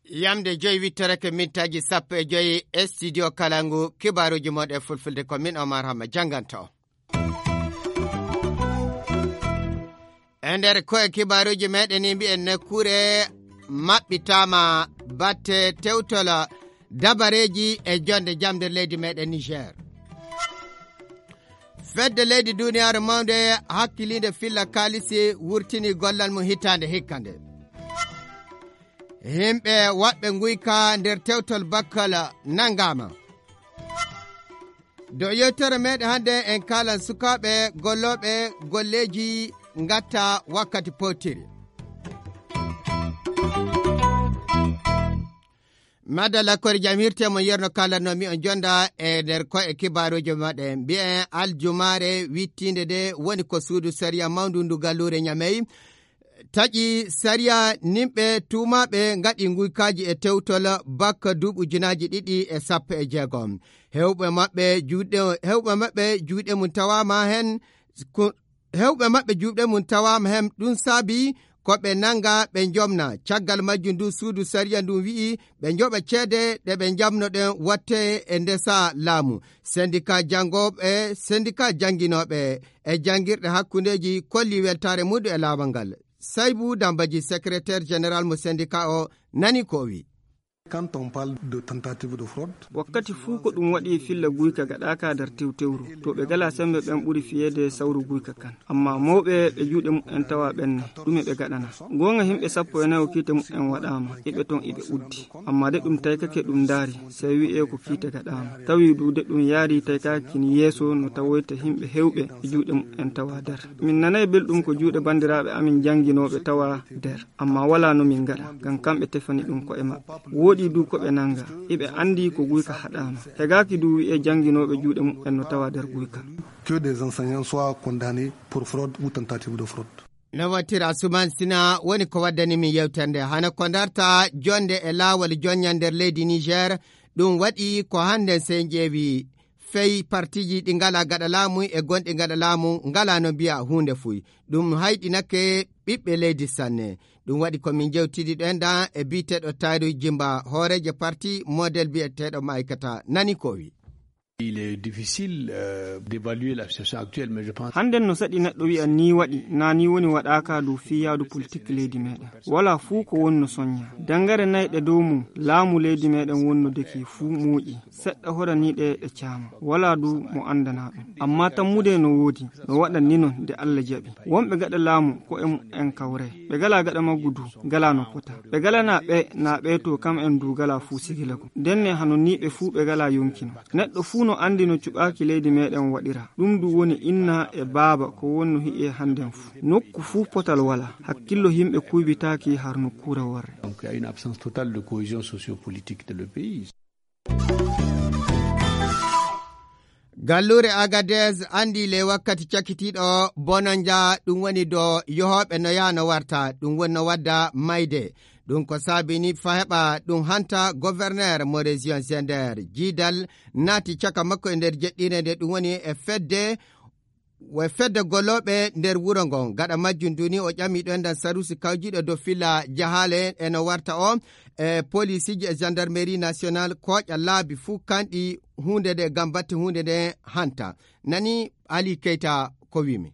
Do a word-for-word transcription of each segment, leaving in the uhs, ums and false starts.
Yamde joyi wittorake mintaaji sappo e joyi e studio Kalangu, kibaaruuji mon e fulfulde ko min Omar Hamma jannganto. E nder koye kibaaruuji meɗen ni mbiyen nokkuure maɓɓitaama batte tewtola dabareeji e jonde jam nder leydi meɗen Niger. Fedde leydi duniyaaru mawnde hakkiliinde filla kaalisi wurtini gollal mum hitaande hikka nde. Yimɓe waɗɓe nguyka nder tewtol bakkal nanngaama. Dow yewtere meɗen hannde en kaalan sukaaɓe gollooɓe golleeji ngatta wakkati powtiri. Madalla kori jam hirte mo yerno kala no mi on jonda e nder ko e kibaaruuji maɗe mbiyen aljumaare wittiinde de woni ko suudu sariya mawndu ndu galluure Ñamey taƴi sariya nimɓe tuumaaɓe ngaɗi nguykaaji e tewtol bakka duuɓi ujunaaji ɗiɗi e sappo e jeegom. Hewɓe maɓɓe juuɗe hewɓe maɓɓe juuɗe mum tawaama heen. Hewɓe maɓɓe juuɗe mum tawaama heen ɗum saabi ko ɓe nannga ɓe njomna. Caggal majjum ndu suudu sariya ndun wi'i ɓe njoɓa ceede ɗe ɓe njamnoɗen watte e ndesa laamu. Sendika janngooɓe sendika jannginooɓe e janngirɗe hakkundeeji kolli weltaare muɗum e laawol ngal. Saybu Dambaji, secrétaire général mo sendika o, nani ko o wi. Quand on parle de tentative de fraude, wakkati fuu ko ɗum waɗi filla guyka gaɗaaka nder tewtewru, to ɓe gala semmbe ɓen ɓuri fiyeede sawru guyka kan. Amma mawɓe ɓe juuɗe muɓɓen tawa ɓen ne, ɗume ɓe gaɗana? Goonga himɓe sappo e nayo kiite muɓɓen waɗaama, iɓe ton iɓe uddi. Amma de ɗum taykake ɗum ndaari, sey wi'ee ko kiite gaɗaama. Tawi du de ɗum yaari taykaaki kin yeeso no tawoyta himɓe hewɓe e juuɗe muɓɓen tawa nder. Min nanay belɗum ko juuɗe banndiraaɓe amin jannginooɓe tawa nder. Amma walaa no min ngaɗa, ngam kamɓe tefani ɗum ko'e maɓɓe. Wooɗi du ko ɓe nannga, iɓe anndi ko guyka haɗaama. Hegaaki du wi'ee jannginooɓe juuɗe muɓɓen no tawa nder guyka. Que des enseignants soient condamnés pour fraude ou tentative de fraude. No wattira Asuman Sina woni ko waddani min yewtere nde. Hano ko darta jonde e laawol jonña nder leydi Niger, ɗum waɗi ko hannden sey njeewi fey partiiji ɗi ngalaa gaɗa laamu e gonɗi gaɗa laamu ngalaa no mbiya huunde fuy. Ɗum hayɗinake ɓiɓɓe leydi sanne. Ɗum waɗi ko min jewtidi ɗen ɗan e biyeteeɗo Tayru Jimba, hooreejo parti model biyeteeɗo Ma'aykata, nani ko wi. Il est difficile, euh, d'évaluer la situation actuelle, mais je pense. Hannden no saɗi neɗɗo wi'a nii waɗi, naa nii woni waɗaaka dow fii yaadu politik leydi meɗen. Walaa fuu ko wonno soñña. Dangare nayɗe dow mum, laamu leydi meɗen wonno deki fuu muuƴi. Seɗɗa horaniiɗe ɗe caama. Walaa du mo anndanaa ɗum. Amma tammude no woodi, no waɗan ni non nde Allah jaɓi. Wonɓe gaɗa laamu ko e mu'en kawre. Ɓe galaa gaɗa maggu du, galaa no pota. Ɓe galanaa ɓe, naa ɓe to kam'en du galaa fuu sigilagu. Ndenne hano nii ɓe fuu ɓe galaa yonki non. Neɗɗo fuu no anndi no cuɓaaki leydi meɗen waɗira. Ɗum du woni inna e baaba ko wonno hi'e hannden fuu. Nokku fuu potal walaa. Hakkillo himɓe kuybitaaki har nokkuure worre. Donc, il y a une absence totale de cohésion sociopolitique dans le pays. Galluure Agadez anndi le wakkati cakitiiɗo bonanja ɗum woni do yohooɓe no yaha no warta ɗum woni no wadda mayde. Ɗum ko saabini fa heɓa ɗum hanta gouverneur mo région Zender jiidal naati caka makko e nder jeɗɗire nde ɗum woni e fedde e fedde golooɓe nder wuro ngon. Gaɗa majjum duni o ƴami ɗo enɗan sarusi kawjiɗo dow filla jahaale e no warta o e polisiiji e gendarmerie national kooƴa laabi fuu kanɗi huunde nde ngam batte huunde nde hanta. Nani Ali Keita ko wimi.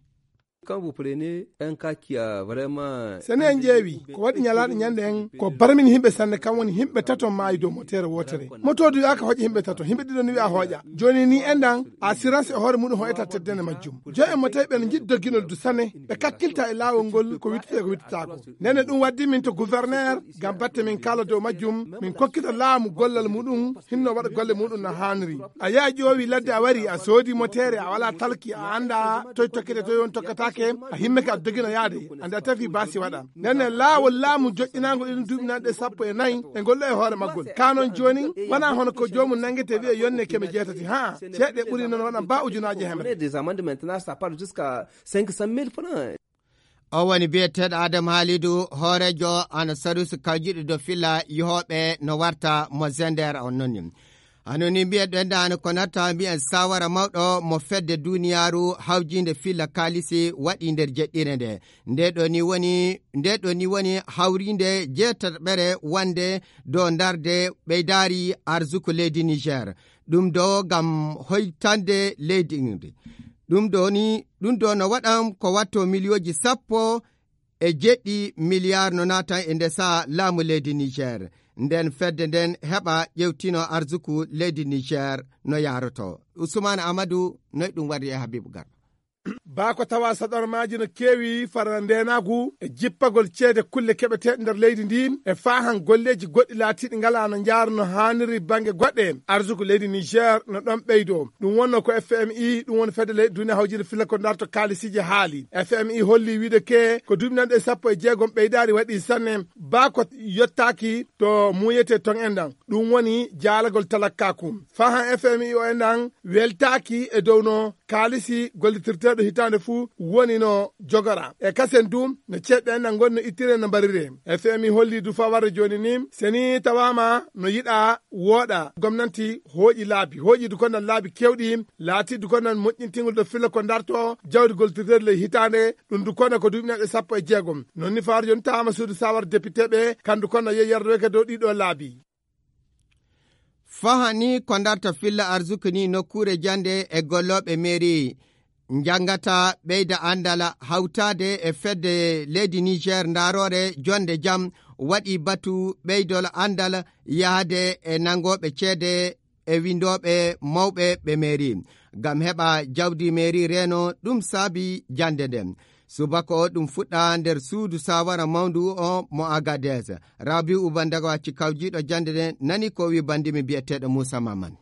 Quand vous prenez un cas qui a vraiment sene en ƴeewi ko waɗi ñalaaɗo ñande en ko barmin himɓe sanne kam woni himɓe tato maayi dow motere wotere. Moto du yaaka hoƴa himɓe tato, himɓe ɗiɗo ni wi'a hoƴa. Joni ni enɗan assurance e hoore muɗum hoƴata teddene majjum. Joyi en mo tawi ɓen jiɗi dogginol du sane ɓe kakkilta e laawol ngol ko wittete ko wittataako. Nene ɗum waddi min to gouverneur ngam batte min kala dow majjum min kokkita laamu gollal muɗum hinno waɗa golle muɗum no haaniri. A yaha ƴoowi ladde a wari a soodi motere a wala talki a anda toy tokkete toy on tokkatake a himmeke a dogino yaade anda tafi basi waɗa. Nene laawol laamu joƴƴinaango ɗin duuɓi nanɗe sappo e nayi e ngol ɗo e hoore maggol. Ka non joonin wona hono ko joomum nangete wi'e yonne keme jeetati haa ceeɗe ɓuri non waɗan ba ujunaaji hemre. Des amendes maintenant ça part jusqu'à cinq cent mille francs. O woni biyeteeɗo Adam Halidu hooreejo ana sarusi kawjiɗo dow filla yohooɓe no warta mo Zender on nonni. Hano ni mbiyen ɗen ɗan ko natta mbiyen sawara mawɗo mo fedde duniyaaru hawjiinde filla kaalisi waɗi nder jeɗɗire nde. Nde ɗo ni woni, nde ɗo ni woni hawriinde jeetaɓere wonde dow darnde ɓeydaari arsuku leydi Niger. Ɗum ɗo ngam hoytande leydi ndi. Ɗum ɗo ni, ɗum ɗo no waɗan ko watto miliyooji sappo e jeɗɗi miliyaar no naatan e nde saha laamu leydi Niger. Nden fedde nden heɓa ƴewtino arsuku leydi Niger no yaaroto. Usman Amadou, noy ɗum warri e Habibu Garba? Baa ko tawa saɗormaaji no keewi fara ndeenaagu e jippagol ceede kulle keɓeteeɗe nder leydi ndi e faahan golleeji goɗɗi laatiiɗi ngalaa no njaarno haaniri bannge goɗɗe. Arsuku leydi Niger no ɗon ɓeydo. Ɗum wonno ko F M I, ɗum woni fedde leyɗe duniya hawjiinde filla ko darto kaalisiiji haali. F M I holli wiide ke ko duuɓi nanɗe sappo e jeegom ɓeydaari waɗi sanne. Baa ko yottaaki to muuyete ton en ɗan. Ɗum woni jaalagol talakkaaku. Fahan F M I o en ɗan weltaaki e dow no kaalisi gollitirteeɗo hitaande fuu woni no jogora. E kasen du no ceeɗɗe en ɗan ngoni no ittire no mbarire. F M I holli du faa warde jooni ni, seni tawaama no yiɗa wooɗa gomnanti hooƴi laabi, hooƴi du ko nan laabi kewɗi, laati du ko nan moƴƴintingol ɗo filla ko darto jawdi gollitirteeɗo ley hitaande, ɗum du ko na ko duuɓi nanɗe sappo e jeegom. Non ni faa warde jooni tawaama suudu sawar depiteeɓe, kan du ko na yehi yardoyke dow ɗiɗo laabi. Fahani ko darta filla arsuku ni nokkuure jannde e gollooɓe mairie njanngata ɓeyda anndal hawtaade e fedde leydi Niger ndaaroore jonde jam waɗi batu ɓeydol anndal yahde e nanngooɓe ceede e winndooɓe mawɓe ɓe mairie ngam heɓa jawdi mairie reeno ɗum saabi jannde nden. Subaka o ɗum fuɗɗa nder suudu sawara mawndu o mo Agadez. Rabiu Bandaga wacci kawjiiɗo jannde nden nani ko wi banndimi biyeteeɗo Moussa Maman.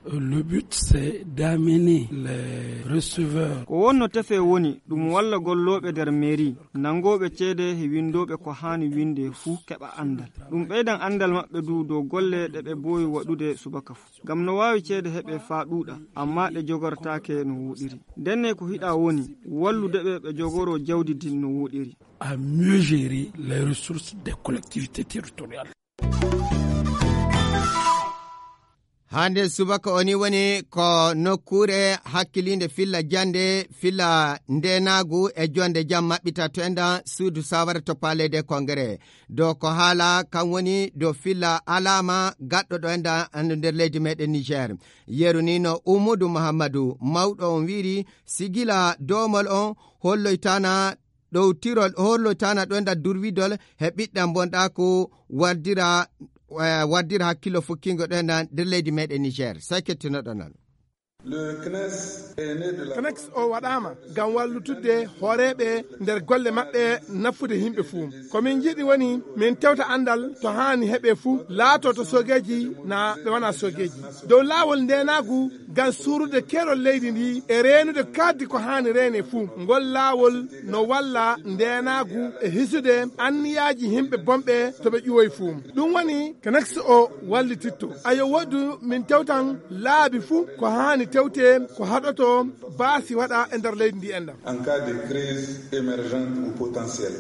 Le but, c'est d'amener les receveurs. Ko wonno tefe woni ɗum walla gollooɓe nder mairie, nanngooɓe ceede he winndooɓe ko haani winnde fuu keɓa anndal. Ɗum ɓeydan anndal maɓɓe du dow golle ɗe ɓe mboowi waɗude subaka fuu. Ngam no waawi ceede heɓe faa ɗuuɗa, ammaa ɗe jogortaake no wooɗiri. Ndenne ko hiɗa woni wallude ɓe ɓe jogoroo jawdi ndin no wooɗiri. À mieux gérer les ressources des collectivités territoriales. Hande subaka o ni woni ko nokkuure hakkiliinde filla jannde, filla ndeenaagu e jonde jam maɓɓita to enɗan suudu sawara to Palais des Congrès. Dow ko haala kan woni dow filla alaama gaɗɗo ɗo enɗan nder leydi meɗen Niger. Yeru ni no Umudu Muhammadu, mawɗo on wiiri sigila doomol on holloytana ɗowtirol, holloytana ɗo enɗan durwidol he ɓiɗɗan bonɗaaku wardira, eh, wardira hakkillo fukkingo ɗo enɗan nder leydi meɗen Niger. Sey kettinoɗon non. Le CNES est né de la CNES o waɗaama ngam wallitudde hooreeɓe nder golle maɓɓe nafude yimɓe fuu. Ko min njiɗi woni min tewta anndal to haani heɓe fuu, laato to soogeeji naa ɓe wonaa soogeeji. Dow laawol ndeenaagu ngam suurude keerol leydi ndi e reenude kaaddi ko haani reene fuu. Ngol laawol no walla ndeenaagu e hisude anniyaaji yimɓe bonɓe to ɓe ƴuwoyi fuu. Ɗum woni CNES o wallititto. Ayo woodu min tewtan laabi fuu ko haani tewte, ko haɗoto baasi waɗa e nder leydi ndi enɗan. En cas de crise émergente ou potentielle.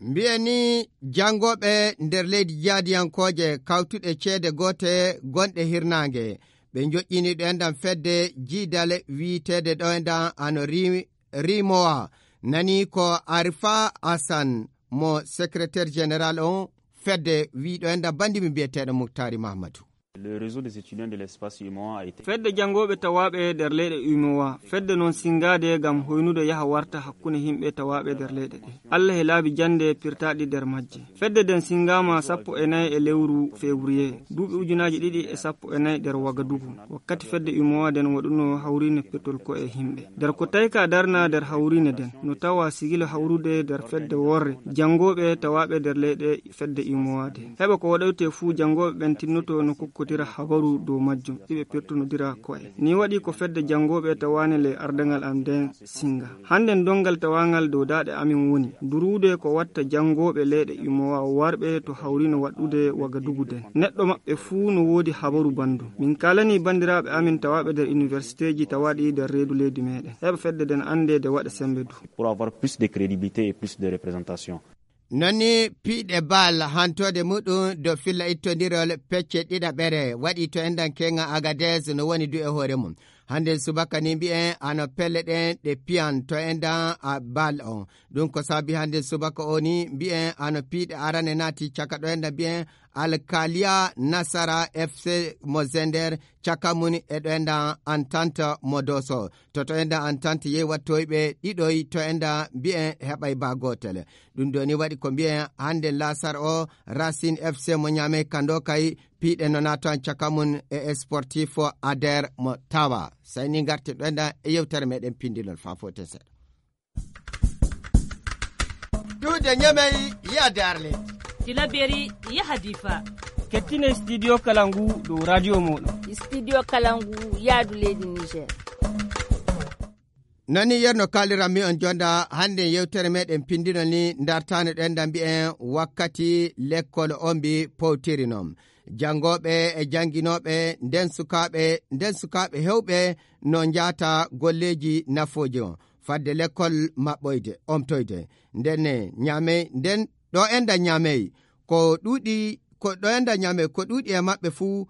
Mbiyen ni janngooɓe nder leydi jaadiyankooje kawtuɗe ceede goote gonɗe hirnaange. Ɓe njoƴƴini ɗo enɗan fedde jiidale wiiteede ɗo enɗan ano ri-, rimowa. Nani ko Arifa Hassan mo secrétaire général on fedde wi ɗo enɗan banndi mi mbiyeteeɗo Muktari Mahamadou. Le réseau des étudiants de l'espace U M O A a été. Fedde janngooɓe tawaaɓe nder leyɗe U M O A, fedde non sinngaade ngam hoynude yaha warta hakkunde yimɓe tawaaɓe nder leyɗe ɗe. Allah e laabi jannde pirtaaɗi nder majje. Fedde nden sinngaama sappo e nayi e lewru février, duuɓi ujunaaji ɗiɗi e sappo e nayi nder Wagadugu. Wakkati fedde U M O A nden waɗuno hawriinde pirtol ko'e yimɓe. Nder ko tawi ka darna nder hawriinde nden, no tawa sigilo hawrude nder fedde worre, janngooɓe tawaaɓe nder leyɗe fedde U M O A nden. Heɓa ko waɗoyte fuu janngooɓe ɓen tinnoto no kokkotira habaru dow majjum, iɓe pirtonodira ko'e. Ni waɗi ko fedde janngooɓe tawaane ley ardaŋal am nden sinnga. Hannden donngal tawaangal dow daaɗe amin woni duruude ko watta janngooɓe leyɗe U M O A warɓe to hawriino waɗɗude Wagadugu nden. Neɗɗo maɓɓe fuu no woodi habaru banndum. Min kaalanii banndiraaɓe amin tawaaɓe nder iniwersiteeji tawaaɗi nder reedu leydi meeɗen. Heɓa fedde nden anndee de waɗa semmbe du. Pour avoir plus de crédibilité et plus de représentation. Noni piiɗe bal hantoode muɗum do filla ittondirol pecce ɗiɗaɓere waɗi to endan keŋa Agadez no woni du e hoore mum. Hande subaka ni mbi'en ano pelle ɗen ɗe piyan to endan a bal on. Ɗum ko sabi hande subaka o ni mbi'en ano piiɗe arane naati caka ɗo endan mbi'en Alkalia Nasara F C mo Zender caka mun e ɗo endan Entente mo Doso. To to endan Entente yehi wattoyɓe ɗiɗoy to endan mbi'en heɓay ba gotel. Ɗum ɗo ni waɗi ko mbi'en hande lasar o Racine F C mo Niamey kando kay piiɗe no naatan caka mun e Sportif Ader mo Tawa. Sey ni ngarte ɗo endan e yewtere meɗen pindinol faa foten seeɗa. Duude Ñamey yaade Arlet. Tilaberi yaha Difa. Kettine studio kala ngu dow radio mooɗon. Studio kala ngu yaadu leydi Niger. Nani yerno kaaliran mi on jonda hande yewtere meɗen pindino ni dartane ɗo endan mbi'en wakkati lekkol on mbi powtiri non. Janngooɓe e jannginooɓe nden sukaaɓe, nden sukaaɓe heewɓe no njaata golleeji nafooji on fadde lekkol maɓɓoyde, omtoyde. Nden ne Ñaamey, nden ɗo enda Ñaamey, ko ɗuuɗi, ko ɗo enda Ñaamey, ko ɗuuɗi e maɓɓe fuu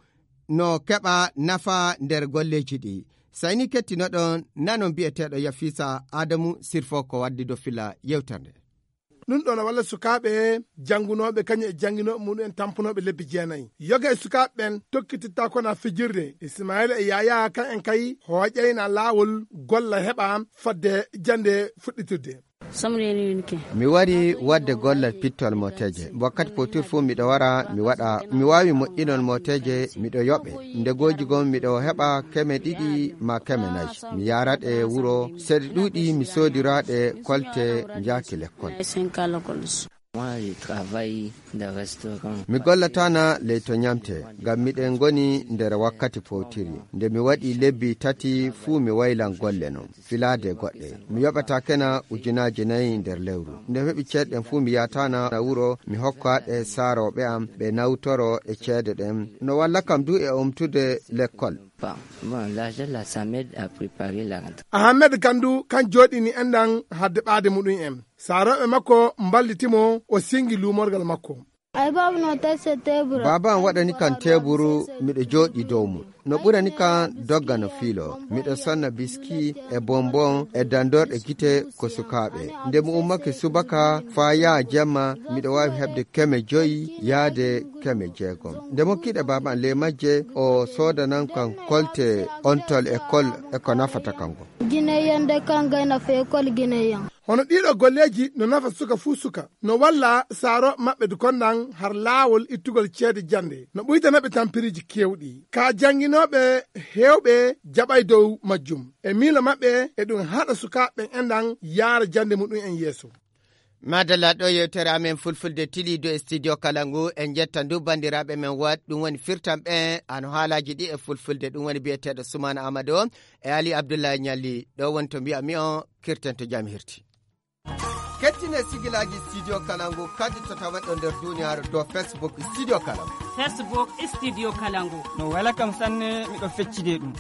no keɓa nafa nder golleeji ɗi. Sayni kettinoɗon nanon bi'eteeɗo Yafiisa Aadamu Sirfo ko waddi do fila yewtere nde. Ɗum ɗo no walla sukaaɓe janngunooɓe kañum e jannginooɓe muɗum en tampunooɓe lebbi jeenayi. Yoga e sukaaɓe ɓen tokkititta kona fijirde. Ismaila e Yaya kan en kay hooƴayna laawol golla heɓa fadde jannde fuɗɗitirde. Samreni yunke. Mi wari wadde gollal pittol mooteeje. Wakkati potir fuu miɗo wara, mi waɗa, mi waawi moƴƴinol mooteeje, miɗo yoɓe. Ndegooji gom miɗo heɓa keme ɗiɗi ma keme nayi. Mi yaaraɗe wuro, seeɗa ɗuuɗi mi soodiraɗe kolte njaaki lekkol. Moi, je travaille dans restaurant. Mi gollatana ley to ñamte, ngam miɗen ngoni nder wakkati powtiri. Nde mi waɗi lebbi tati fuu mi waylan golle non, filaade goɗɗe. Mi yoɓata kena ujunaaji nayi nder lewru. Nde mi heɓi ceede ɗen fuu mi yaatana na wuro, mi hokka ɗe saarooɓe am, ɓe nawtoro e ceede ɗen. No walla kam du e omtude lekkol. Bon, bon, l'argent là, ça m'aide à préparer la rentrée. Ahmed Kandu kan jooɗini enɗan hadde ɓaade muɗum en. Saarooɓe makko mballitimo o singi luumorgal makko. Ay, baaba no tesse tebura. Baaba am waɗani kan teeburu, miɗo jooɗi dow mum. No ɓurani kan dogga no fiilo. Miɗo sonna biski e bonbon e dandorɗe gite ko sukaaɓe. Nde mi ummake subaka faa yaha jemma, miɗo waawi heɓde keme joyi yaade keme jeegom. Nde mokkiɗe baaba am ley majje, o soodanan kan kolte ontol e kol e ko nafata kan gom. Gineyen de kan gayna fee kol Gineyen. Hono ɗiɗo golleeji no nafa suka fuu suka. No walla saaro maɓɓe du kondan har laawol ittugol ceede jannde. No ɓuytana ɓe tampiriiji keewɗi. Ka jannginooɓe heewɓe jaɓay dow majjum. E miilo maɓɓe e ɗum haɗa sukaaɓe ɓen enɗan yaara jannde muɗum en yeeso. Madalla, ɗo yewtere amen fulfulde tiliido e studio kala ngu. En jetta ndu banndiraaɓe men waɗ ɗum woni firtan ɓe ano haalaaji ɗi e fulfulde ɗum woni biyeteeɗo Sumaana Amadu e Ali Abdullahi Ñalli. Ɗo woni to mbiya mi on kirten to jam hirti. Kettine sigilaaji studio kala ngu kadi to tawaɗo nder duniyaaru dow Facebook studio kala ngu. Facebook studio kala ngu. No wela kam sanne miɗo feccide ɗum.